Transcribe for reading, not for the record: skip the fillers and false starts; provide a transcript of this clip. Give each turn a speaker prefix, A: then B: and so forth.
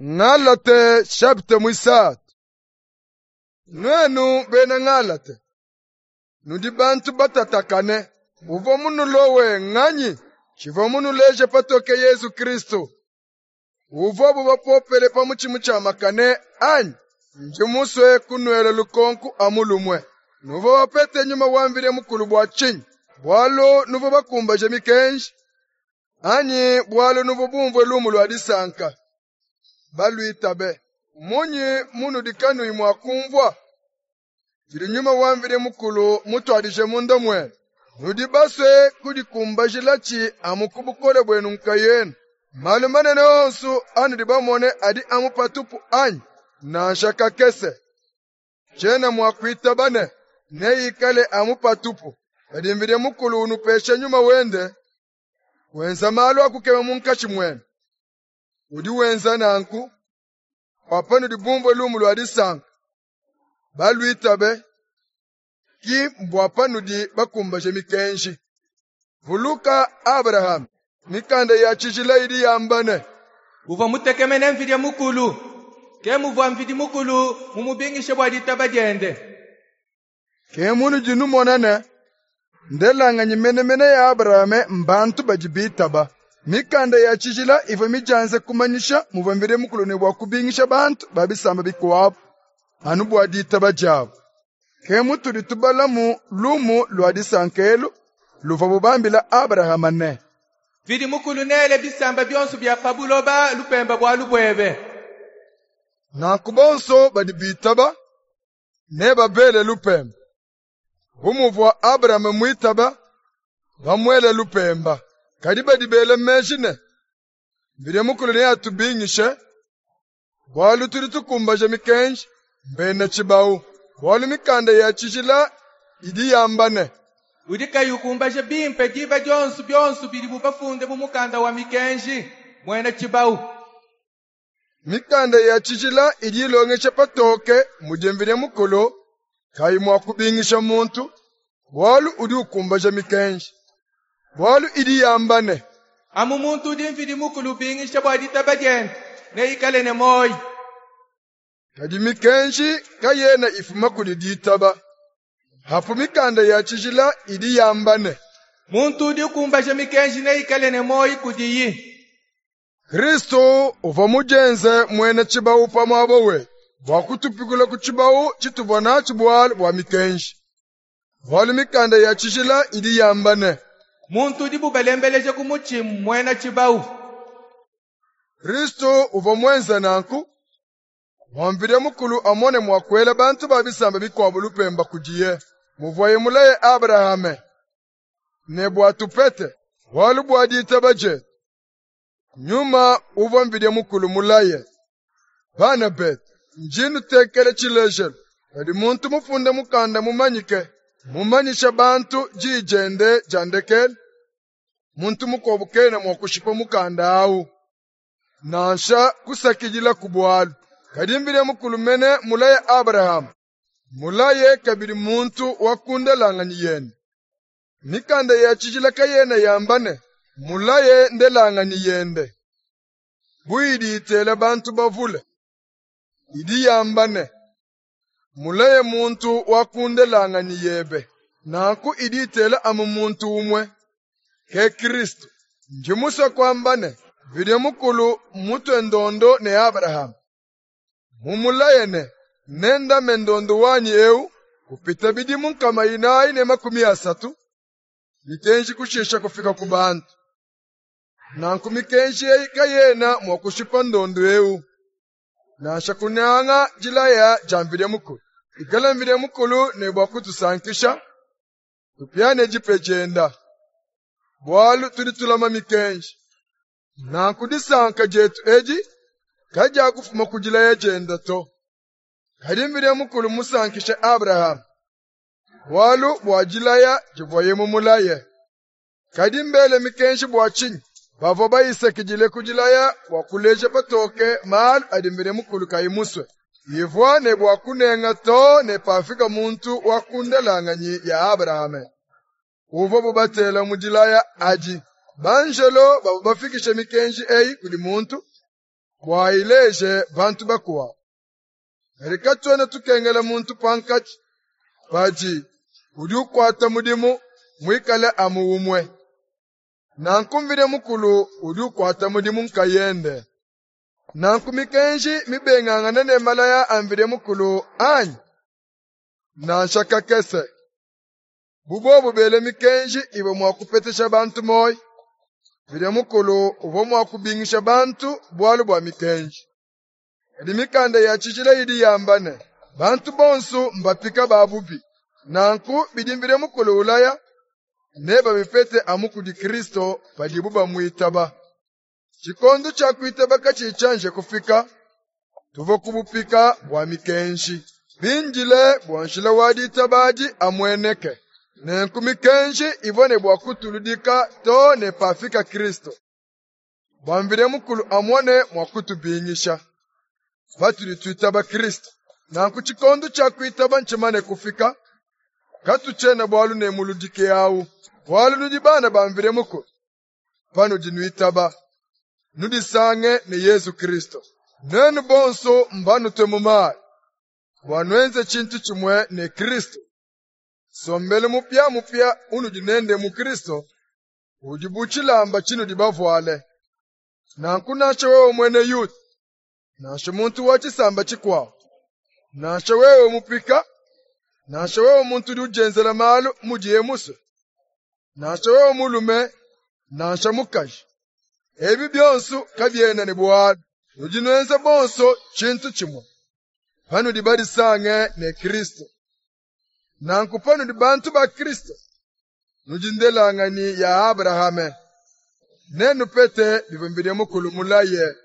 A: Ngalate chapitre muisatu. Nuenu bena Ngalate, nudi bantu batatakane. Uvua munulowe nganyi? Tshivua munuleje patoke Yezu Kristu uvuabu bapopele pa mutshi mutshiamakane anyi? Ndi musue kunuela lukonku amu lumue. Nuvua bapete nyuma wa Mvidi Mukulu bua tshinyi? Bualu nuvua bakumbaje mikenji anyi bualu nuvua bumvue lumu lua disanka, baluitabe? Mmunyi munudi kanuyi mua kumvua tshidi nyuma wa Mvidi Mukulu mutuadije munda muenu? Nudi basue kudikumbajilatshi amu ku bukole buenu nkayenu. Malu manene onsu anudi bamone adi amu patupu anyi? Nansha kakese! Tshiena mua kuitaba ne, neikale amu patupu. Padi Mvidi Mukulu unupesha nyuma wende, wenza malu a kukema munkatshi muenu. Udi wenza nanku bua panudi bumvue lumu lua disanka, baluitabe, ki mbua panudi bakumbaje mikenji. Vuluka Abrahame, mikanda ya tshijila idi yamba ne,
B: Uvua mutekemene Mvidi Mukulu, ke muvua Mvidi Mukulu mumubingishe bua ditaba diende.
A: Ke munudi numona ne, ndelanganyi menemene ya Abrahame mbantu badi bitaba. Mikanda ya tshijila ivua midianze kumanyisha muvua Mvidi Mukulu ne bua kubingisha bantu ba bisamba bikuabu anu bua ditaba diabu. Ke mutudi tubalamu lumu lua disanka elu luvuabu bambila Abrahame ne,
B: Mvidi Mukulu neele bisamba bionso bia pa buloba lupemba bualu buebe.
A: Nanku bonso badi bitaba nebabele lupemba. Bu muvua Abrahame muitaba, bamuele lupemba. Kadi badi bela meji ne, Mvidi Mukulu neatubingishe, bualu tudi tukumbaja mikenji, mbena tshibawu. Bualu mikanda ya tshijila idi yamba ne,
B: Udi kayi ukumbaja bimpe diba dionso bionso bidibu bafunde mu mukanda wa mikenji, muena tshibawu.
A: Mikanda ya tshijila idi ilongesha patoke mudi Mvidi Mukulu kayi mua kubingisha muntu, bualu udi ukumbaja mikenji. Bualu idi yamba ne,
B: Amu muntu udi Mvidi Mukulu ubingisha bua ditaba diende, neikale ne muoyo.
A: Kadi mikenji kayena ifuma kudi ditaba. Apu mikanda ya tshijila idi yamba ne,
B: Muntu udi ukumbaja mikenji neikale ne muoyo kudiyi.
A: Kristu uvua mudienze muena tshibawu pa muaba wetu bua kutupikula ku tshibawu tshituvua natshi bualu bua mikenji. Bualu mikanda ya tshijila idi yamba ne,
B: Muntu udibu balembeleja ku mutshi mmuena tshibawu.
A: Kristu uvua muenze nanku bua Mvidi Mukulu amone mua kuela bantu ba bisamba bikuabu lupemba kudiye, muvuaye mulaye Abrahame, ne bua tupete bualu bua ditaba dietu. Nyuma uvua Mvidi Mukulu mulaye. Bana betu, ndi nnutekela tshilejelu. Padi muntu mufunde mukanda mumanyike, mumanyisha bantu diyi diende dia ndekelu, muntu mukuabu kena mua kushipa mukanda awu, nansha kusakidilaku bualu. Kadi Mvidi Mukulu mene mulaye Abrahame, mulaye kabidi muntu wa ku ndelanganyi yende. Mikanda ya tshijila kayena yamba ne, mulaye ndelanganyi yende, bu idi itela bantu bavule. Idi yamba ne, mulaye muntu wa ku ndelanganyi yebe. Nanku idi itela amu muntu umue, ke Kristu. Ndi musue kuamba ne, Mvidi Mukulu mmutue ndondo ne Abrahame, mumulaye ne, nendame ndondo wanyi eu kupita bidimu nkama inayi ne makumi asatu, mikenji kushisha kufika ku bantu. Nanku mikenji eyi kayena mua kushipa ndondo eu, nansha kunyanga dilaya dia Mvidi Mukulu. Ikala Mvidi Mukulu ne bua kutusankisha, tupiane dipe dienda, bualu tudi tulama mikenji. Nanku disanka dietu edi kadiakufuma ku dilaya dienda to. Kadi Mvidi Mukulu mmusankishe Abrahame, bualu bua dilaya divuaye mumulaye. Kadi mbele mikenji bua tshinyi? Bavua bayisakidile ku dilaya bua kuleja patoke malu adi Mvidi Mukulu kayi musue. Ivua ne bua kunenga too ne pafika muntu wa ku ndelanganyi ya Abrahame, uvuabu batela mu dilaya adi. Banjelo bavua bafikishe mikenji eyi kudi muntu. bua ayileje bantu bakuabu. Kadi katuena tukengela muntu pankatshi padi udi ukuata mudimu muikale amu umue. Nanku Mvidi Mukulu udi ukuata mudimu nkayende. Nanku mikenji mibengangane ne malaya a Mvidi Mukulu anyi? Nansha kakese! Bu bobu bele mikenji ivua mua kupetesha bantu muoyo, Mvidi Mukulu uvua mua kubingisha bantu bualu bua mikenji. Kadi mikanda ya tshijila idi yamba ne, bantu bonsu mbapika ba bubi. Nanku bidi Mvidi Mukulu ulaya, nebabipete amu kudi Kristu padibu bamuitaba. Tshikondo tshia kuitaba katshiyi tshianji kufika, tuvua ku bupika bua mikenji, bindile bua njila wa ditaba adi amueneke. Nenku mikenji ivua ne bua kutuludika too ne pafika Kristu, bua Mvidi Mukulu amone mua kutubingisha patudi tuitaba Kristu. Nanku tshikondo tshia kuitaba ntshimane kufika, katutshiena bualu ne muludiki awu, bualu nudi bana ba Mvidi Mukulu. Panudi nuitaba, nudisange ne Yezu Kristu. Nuenu bonsu mbanutue mu mayi, bua nuenze tshintu tshimue ne Kristu. Nsombelu mupiamupia unudi nende mu Kristu udi bu tshilamba tshinudi bavuale. Nanku nansha wewe muena Yuda, nansha muntu wa tshisamba tshikuabu, nansha wewe mupika, nansha wewe muntu udi udienzela malu mudiye musue, nansha wewe mulume, nansha mukaji, ebi bionso kabiena ne bualu. Nudi nuenza bonso tshintu tshimue panudi badisange ne Kristo. Nanku panudi bantu ba Kristo, nudi ndelanganyi ya Abrahame, nenupete bivua Mvidi Mukulu mulaye.